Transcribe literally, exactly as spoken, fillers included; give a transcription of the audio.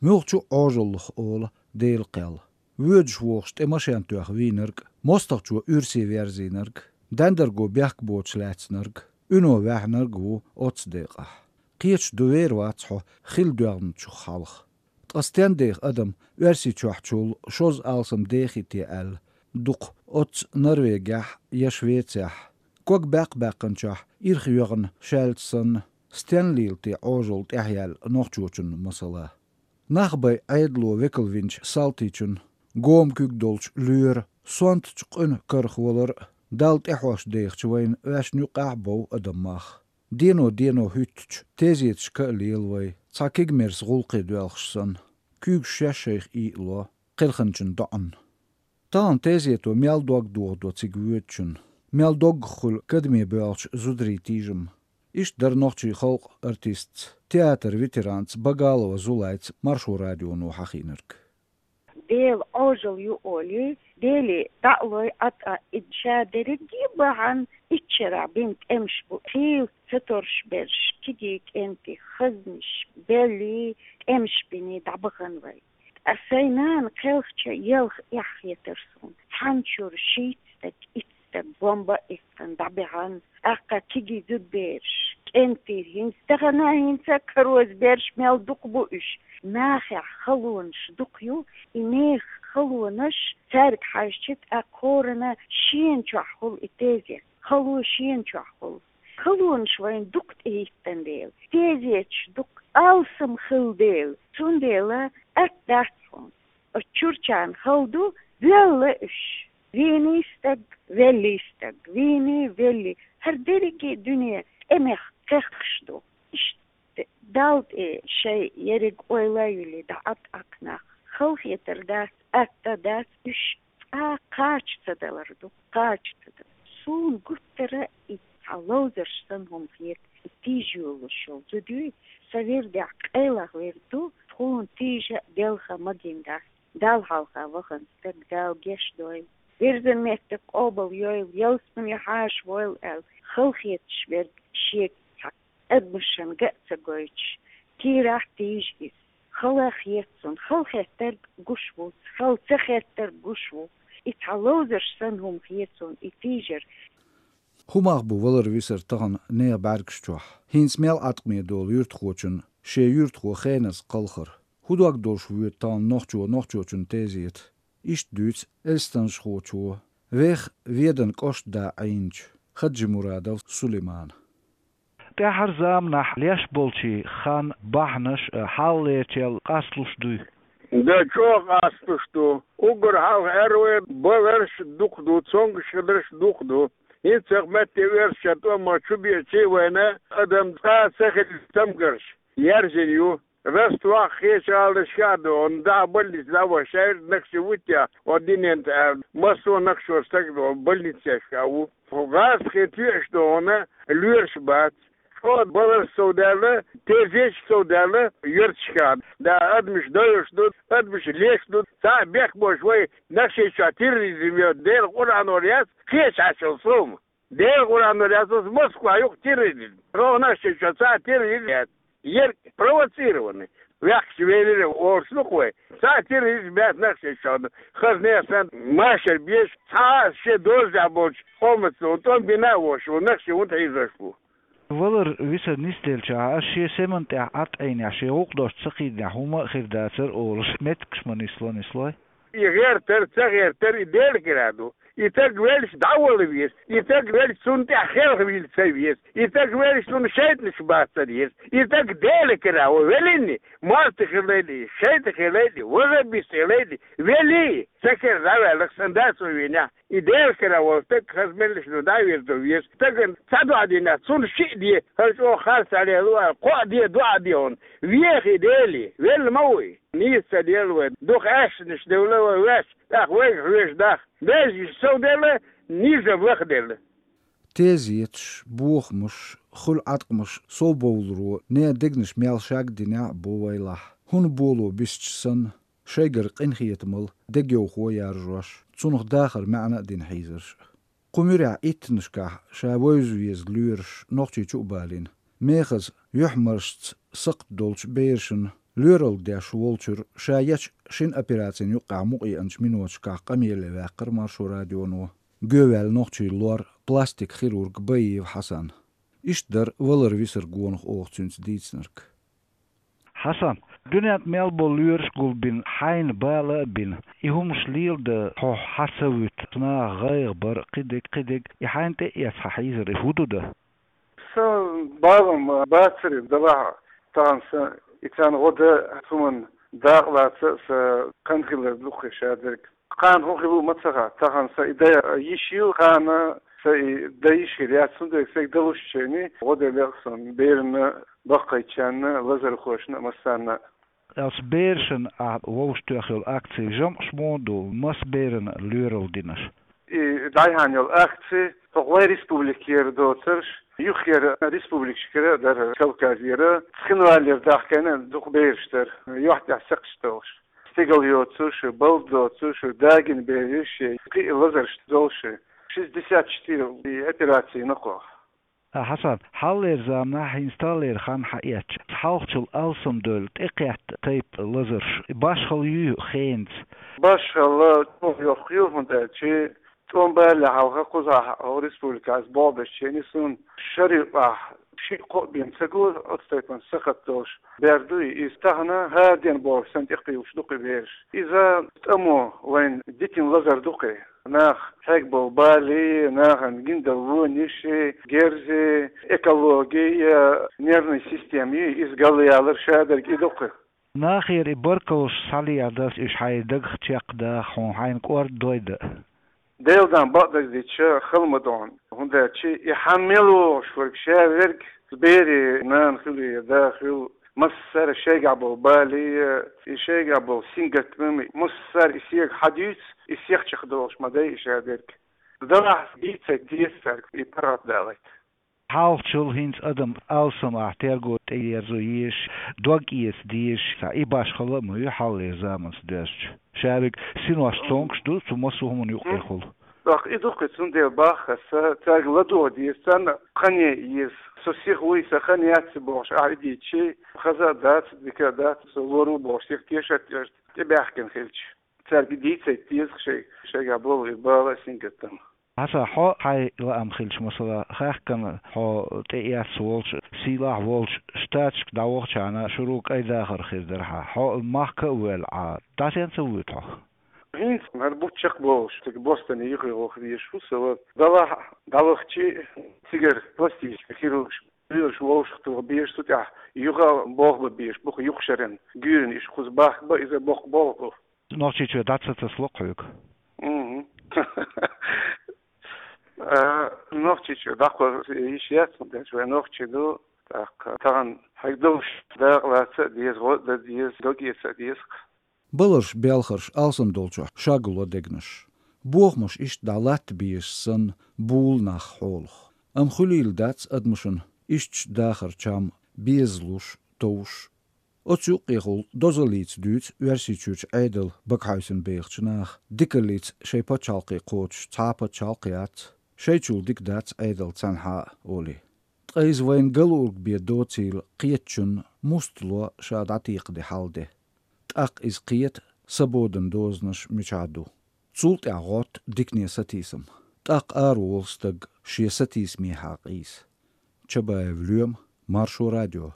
Муьлххачу а Ӏожаллах ола Делан кхел. Воьдуш-вогӀуш тӀе машен тоьхна вийнарг, мостагӀчо уьрсе верзийнарг, дендарго бехк боцуш лаьцнарг, уьно ваьхьнарг ву оццу декъахь. Кхеташ ду, вер вац хьо хилла доьгӀначух хьалха. Ткъа стен деха адам Оьрсийчохьчул шозза алсам дехий те аьлла, дукха оццу Норвегехь я Швецехь, ког баьккха баьккхинчохь ирх йоьгӀна шаьлта санна, стен лийла те Ӏожалла тӀаьхьаяьлла нохчочун масала? Нах бай Ӏедало векал винчу салтичун, гома куьг долчу лоьран, сонтачу къуьнан карах валар а, Далла тӀаьхьош дехачу вайна ваьшна юккъехь а бов адам мах. Дено-дено хӀуьттучу тезеташка а лела вай, цхьа кегамерса гӀуллакхе доьлхуш санна, куьйгаш шаьш шайх ийла ло кхелхинчун доӀанна. Тахана тезето мел дог дохадо цига воьдучунна, мел доггах хуьлу кадаме боьлхучу зударийн тийжам. Иштта дара нохчийн халкъан артистца, театран ветеранца Багалова Зулайца Маршо радионо хьахийнарг. Дела Ӏожалла ю олий, Деле дӀа а лой, Ӏа тӀа а, и ша дерриге а бахьана, итт шарахь бина тӀемаш бу, хийла ца торжуш берш, кегий кӀентий, хазнаш, беллий, тӀемаш биний дӀабахана вай. Ткъа сайн нана кхелхича, елха эхь хетара суна. Цхьана чуьра шийтта стаг, итт стаг бомба а иккхина дӀабаьхьна, тӀаккха кегий зудабераш, кӀентий, хӀинца тахана, хӀинца а кароза берш мел дукха бу уьш. Нахехь халонаш дукха ю, и нехан халонаш, цаьрга хьаьжча, тӀаккха хӀоранна шена чохь хуьлу и тезет. Хало шена чохь хуьлу. Халонаш вайна дукха тӀехӀиттина дела, тезеташ дукха алсам хилла дела, цундела атта дац хьуна. Оцу чуьрчарна хала ду, воьлла уьш. Вийний стаг, веллий стаг, вийний, веллий. ХӀара дерриге дуьне тӀемех кхехкаш ду. Иштта Далла тӀе шайн ерриг ойла а юьллий, дӀа а тӀаккха нах. Халахетар дац, атта дац, уьш цкъа кхача ца далар ду, кхача ца далар. Суна гуттара а и цхьа ловзарш санна хӀума хета, и тийжа йолуш йолу зуда юй, сан вирдехь къайлах вирд ду, тхуна тийжа а, делха а магийна дац. Далла хьалха вахана стаг Дала гечдойла. Вирзина меттиг къобалйойла, ялсамане хьаша войла аьлла, халахеташ верг шега цхьа адамашна ган а ца гойтуш, кийрахь тийжа иза. Хала хета цунна, хала хеттарг гуш ву, хала ца хеттарг гуш ву. И цхьа ловзарш санна хӀума хета цунна и тийжар. ХӀун мах бу валар-висар тахана нехан бӀаьргаш чохь? ХӀинца мел Ӏаткъаме долу юьртахочун шен юьртахо хеназа кхалхар? ХӀун дог долуш воьду тахана нохчо нохчочун тезета? Иштта дуьйцу элстанашхочо, веха Веданан кӀоштан да Ӏийначу Хаджимурадов Сулеймана. ТӀаьххьара заманахь леш болчийн хан бахьанаш а хьалхалерчел къасталуш дуй? Да, чӀогӀа къасталуш ду. Уггар хьалха аьлла вай, баларш дукха ду, цомгуш хиларш дукха ду. ХӀинццалц метте оьрсачара тӀом чу беъча вайна адам цкъа а ца хилла цамгарш яьржина ю. Ростовхь, кхечу гӀаланашкахь а ду, хӀунда аьлча больница дӀа а вашшийра, нах ши вуттехь, хӀо динан тӀе аьлла, массо а нах шо стаг ду, больницешкахь ву. ГӀазкхийн тоьаш ду хьуна, лоьраш бац. ЧӀогӀа баларш сов даьлла, тезеташ сов даьлла, юьрташкахь. Да, адамаш дойуш ду, адамаш леш ду, цхьа а бехк боцуш вай нах шайн чохь терроризм йо, Делан Къуръано яц, кхечахьа йолу сов ма. Делан Къуръано яц, оцу Москва юкъа терроризм. РогӀу нах шайн чохь цхьа а терроризм яц. Ерг провоцированный. Ваьхкаш велира олуш ду-кх вай. Цхьа а терроризм яц нах шайн чохь. Хаза нехан санна машар безаш, цхьа а шен дозанехь болчу къомаца тӀом бина а воцуш ву, нах шайн хӀунда хьийзош бу? Валар-висар нисделчахь, ас шен семан тӀехь Ӏад Ӏийнехь, шен гӀуллакх долуш ца кхийдинехь хӀума а хир дацара олуш, меттигаш ма нисло, нислой? И гӀертар, ца гӀертар, и Делан кара ду. И стаг велча дӀавала веза, и стаг велча цунна тӀехь хелхавийла ца веза, и стаг велча цунна шайтӀанаш бац ца деза, и стаг Делан кара ву веллий, марти хилла а, шайтӀа хилла а, ваххабист хилла а, веллий, цу кара дӀаваьлла, сан дас ву вийнехь. И Делан кара волу стаг хаза меллаша ду дӀа а веза, ду веза. Стагана цхьа доӀа динехь, цунна шиъ де, хӀара чӀогӀа харц Ӏалело аьлла, кхоъ де, доӀа де хьуна. Веха и Деле, велла ма ву и. Нийса ца делла вай, дукха аьшнаш девлла вай ваьш, тӀаккха вайга хьоьжуш даха. Бежнаш сов делла, нийса лаха делла. Тезеташ, бохамаш, хуьлу Ӏаткъамаш совбовларо нехан дегнаш мел шаг динехь а бу вайлахь, хӀун боло бисча санна, шайгара къинхетамал дегайовхо яржош, цунах дахар маьӀна а дина хьийзарш а. Кху муьрехь иттаннашкахь ша вевза веза лоьраш Нохчийчу а балийна, мехаза юьхьмаршца сакхт долчу берашна Лоьралла деш волчуьра ша ечу шина операцина юккъехь мукъаеанчу миноташкахь къамеле ваьккхира Маршо радионо гоьваьлла нохчийн лор, пластик хирург Баиев Хьасан. Иштта дара валар-висар гонах оха цуьнца дийцинарг. Хьасан, дуьненна мел болу лоьраш а гулбина, хьайна бала а бина, и хӀумаш лела дан хьо хьа ца вуьту, наха гӀайгӀа бар, кхидерг, кхидерг, и хьайна тӀе а эцна хьан хьийзар, и хӀун ду дан? Сан балам бацара, делахь а тахана сан и царна гӀо дан, хӀуманна дакъа лаца а сан кхана хилар ду-кх и шадерг. Кхана хӀун хилла ма ца хаьа, тахана сан и дан йиш ю, кхана сан и дан йиш хир яц, цундела сан далуччохь гӀо делла сан берашна, баккхийчарна, лазархошна а, массарна а. Ас берашна ахь вовшахтоьхна йолу акци жамӀаш муха ду, маса берана лоьралла динарш? И дӀаяхьна йолу акци хӀокху вайн республикера доцурш, юххера республикашкара а дара, Кавказера, Цхинвалера дахкийна дукха бераш дара, юьхь тӀехь сакхташ долуш. Стигал йоцуш, балда доцуш, дагийна бераш, кхин а лазарш долуш. Шестьдесят четыре и операци йина кху. А, Хьасан, хьалхалера заманахь, хӀинца таханлера хан хьаэцча, хьалхачул алсамдевлла тӀекхетта тайпа лазарш башхалла юй хенца? Башхалла, чӀогӀа йоккха ю, хӀунда аьлча тӀом балале хьалха кхузахь хӀокху республикехь ас болх бечу хенахь суна шарахь шиъ-кхоъ бен ца го оцу тайпана сахат долуш бер ду и. Иза тахана хӀара ден болуш санна тӀекхуьйлуш ду-кх и бераш. Иза тӀамо вайна дитина лазар ду-кх и. Нах хьегна болу балий, нахана гиндала вониши, герзи, экологи, нервный система ю, иза галъялар шадерг и ду-кх. Нахера и баркаллаш схьалехьа дас уьш хьайн дагах чекхдаха, хьуна хьайна кӀордадойда? Делан бакъдерг дича хала ма ду хьуна, хӀунда аьлча и хьан мел вогӀуш верг, ша верг, берийн нана хуьлу я да хуьлу, массара шайгахь болу балий, и шайгахь болу сингаттам, массара и сега хьан дуьйцу, и сехчах долуш ма дай и шадерг. Делахь дийцийта деза цаьрга и паргӀат далийта. Хьалхачул хӀинца адам алсам ахь терго тӀеерзо езаш, дог эца дезаш, и башхалла а ма ю хьалхалера заманца доьзча. Ша верг синош цомгуш ду, цу массо а хӀуманна юккъехула. ТӀаккха и ду-кх и, цундела боху аса, цаьрга ладогӀа деза, царна хан ян еза. Со сиха вуй, сан хан яц бохуш ахь и дийцча, хаза а дац, дика а дац, со лор ву бохуш, сиха тешар а тешна, тӀебаьхкина хилча. Цаьрга дийцийта деза шай, шайгахь болу и бала а, сингаттам. Хьасан, хьо хьайн лаам хилча, масала, хаьхкина хьо тӀеэцна волчу, сийлахь волчу Штаташка дӀавахчахьана шура кӀайн дахар хир дара хьан. Хьо махка а воьлла Ӏа, дӀасаьхьа ца вуьйту хьо? ХӀинца хӀара бутт чекхболуш, цига Бостоне юххе ваха везаш ву со, делахь а дӀавахча, цигара пластический хирургаш, лоьраш вовшахтоха безаш, цу тӀехь юха болх бан безаш бу-кх юха шарна, гуьйранна иштта кхуза бахка бан, иза боккха болх бу. Нохчийчоь дӀа ца тасало хьоьга? Мгм. А, Нохчийчоь дӀакхо йиш яц, хӀунда аьлча вай нохчий ду, тӀаккха тахана хьегна долуш дакъа лаца а деза, гӀо а дан деза, дог эца а деза-кх. Баларш, белхарш алсам долчохь шаг ло дегнаш. Бохамаш иштта дӀа латта безаш санна, буьйлу нах хьолах. Амма хуьлийла дац адамашна ишттачу дахаран чам безалуш, товш. Оцу юккъехула дозаллица дуьйцу Оьрсийчуьрчу Ӏедал багахьевсина бехачу наха, дикаллица шайн пачхьалкхе кхочуш цхьа а пачхьалкх яц, шайчул дика дац Ӏедал цхьанхьа а, олий. Ткъа иза вайна галург бен доцийла кхетачунна муста ло ша дӀатекхаде хьал де? ТӀаккха иза кхета, сабодан дозанаш мичахь ду? Цул тӀаьхьа гӀотта дикане сатийсам. ТӀаккха араволу стаг шен сатийсамехьа къийса. Чабаев Лоьма, Маршо радио.